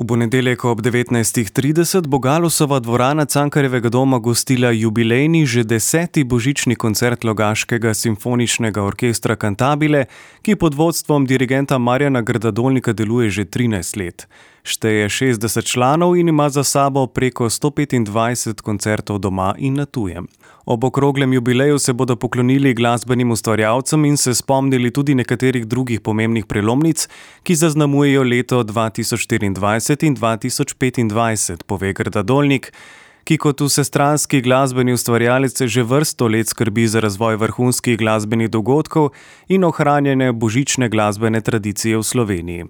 V ponedeljek ob 19:30 bo Galusova dvorana Cankarjevega doma gostila jubilejni že 10. božični koncert Logaškega simfoničnega orkestra Cantabile, ki pod vodstvom dirigenta Marjana Grdadolnika deluje že 13 let. Šteje 60 članov in ima za sabo preko 125 koncertov doma in na tujem. Ob okroglem jubileju se bodo poklonili glasbenim ustvarjalcem in se spomnili tudi nekaterih drugih pomembnih prelomnic, ki zaznamujejo leto 2024 in 2025, pove Grdadolnik, ki kot vsestranski glasbeni ustvarjalec že vrsto let skrbi za razvoj vrhunskih glasbenih dogodkov in ohranjanje božične glasbene tradicije v Sloveniji.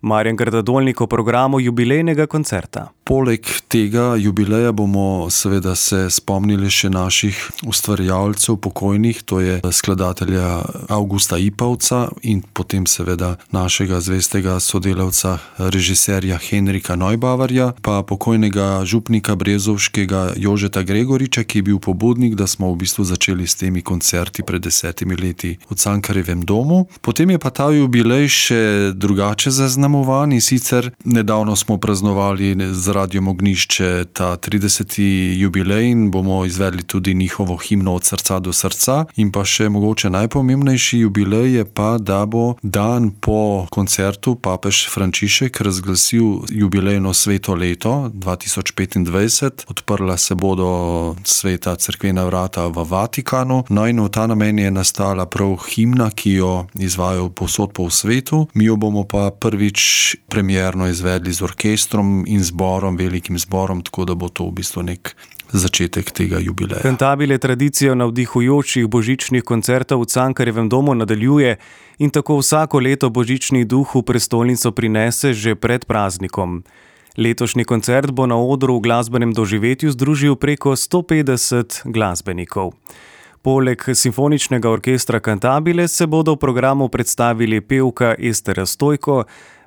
Marjan Grdadolnik o programu jubilejnega koncerta. Poleg tega jubileja bomo seveda se spomnili še naših ustvarjalcev pokojnih, to je skladatelja Avgusta Ipavca in potem seveda našega zvestega sodelavca, režiserja Henrika Neubavarja, pa pokojnega župnika brezovškega Jožeta Gregoriča, ki je bil pobudnik, da smo v bistvu začeli s temi koncerti pred 10 leti v Cankarjevem domu. Potem je pa ta jubilej še drugače zaznamovan in sicer nedavno smo praznovali z Radiom Ognjišče ta 30. jubilej in bomo izvedli tudi njihovo himno Od srca do srca. In pa še mogoče najpomembnejši jubilej je pa, da bo dan po koncertu papež Frančišek razglasil jubilejno sveto leto 2025. Odprla se bodo sveta cerkvena vrata v Vatikanu. No in v ta namen je nastala prav himna, ki jo izvajajo povsod po svetu. Mi jo bomo pa prvič premierno izvedli z orkestrom in zborom, velikim zborom, tako da bo to v bistvu nek začetek tega jubileja. Cantabile tradicijo navdihujočih božičnih koncertov v Cankarjevem domu nadaljuje in tako vsako leto božični duh v prestolnico prinese že pred praznikom. Letošnji koncert bo na odru v glasbenem doživetju združil preko 150 glasbenikov. Poleg simfoničnega orkestra Cantabile se bodo v programu predstavili pevka Estera Stojko,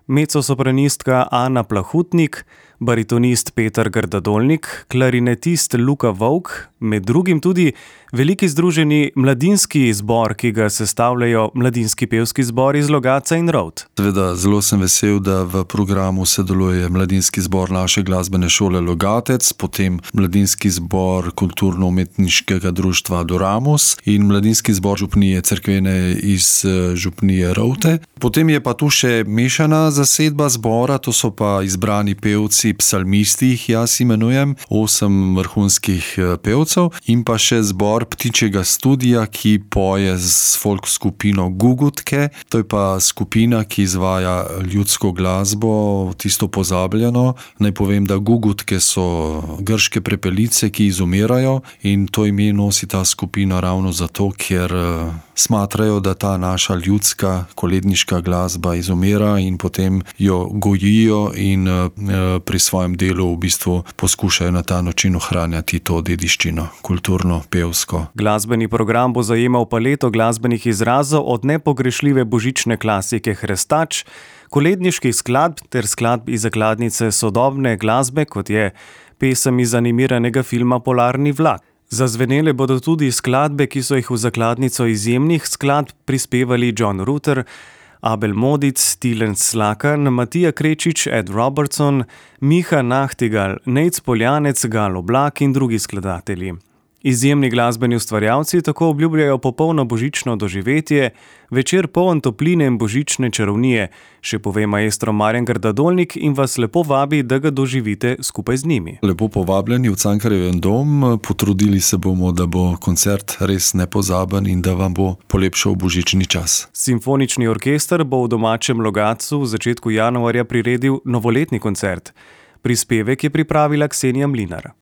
mezzosopranistka Ana Plahutnik, baritonist Peter Grdadolnik, klarinetist Luka Vovk, med drugim tudi veliki združeni mladinski zbor, ki ga sestavljajo mladinski pevski zbor iz Logatca in Rovt. Seveda, zelo sem vesel, da v programu sodeluje mladinski zbor naše glasbene šole Logatec, potem mladinski zbor kulturno-umetniškega društva Adoramus in mladinski zbor župnije cerkvene iz župnije Rovte. Potem je pa tu še mešana zasedba zbora, to so pa izbrani pevci, psalmisti jih jaz imenujem, 8 vrhunskih pevcev in pa še zbor Ptičjega studija, ki poje z folk skupino Gugutke. To je pa skupina, ki izvaja ljudsko glasbo, tisto pozabljeno. Naj povem, da Gugutke so grške prepelice, ki izumirajo in to ime nosi ta skupina ravno zato, ker smatrajo, da ta naša ljudska koledniška glasba izumira in potem jo gojijo in pri svojem delu v bistvu poskušajo na ta način ohranjati to dediščino, kulturno, pevsko. Glasbeni program bo zajemal paleto glasbenih izrazov od nepogrešljive božične klasike Hrestač, koledniških skladb ter skladb iz zakladnice sodobne glasbe, kot je pesem iz animiranega filma Polarni vlak. Zazvenele bodo tudi skladbe, ki so jih v zakladnico izjemnih skladb prispevali John Rutter, Abel Modic, Tilen Slakan, Matija Krečič, Ed Robertson, Miha Nachtigal, Nejc Poljanec, Gal Oblak in drugi skladatelji. Izjemni glasbeni ustvarjalci tako obljubljajo popolno božično doživetje, večer poln topline in božične čarovnije, še pove maestro Marjan Grdadolnik in vas lepo vabi, da ga doživite skupaj z njimi. Lepo povabljeni v Cankarjevem dom, potrudili se bomo, da bo koncert res nepozaben in da vam bo polepšal božični čas. Simfonični orkester bo v domačem Logatcu v začetku januarja priredil novoletni koncert. Prispevek je pripravila Ksenija Mlinar.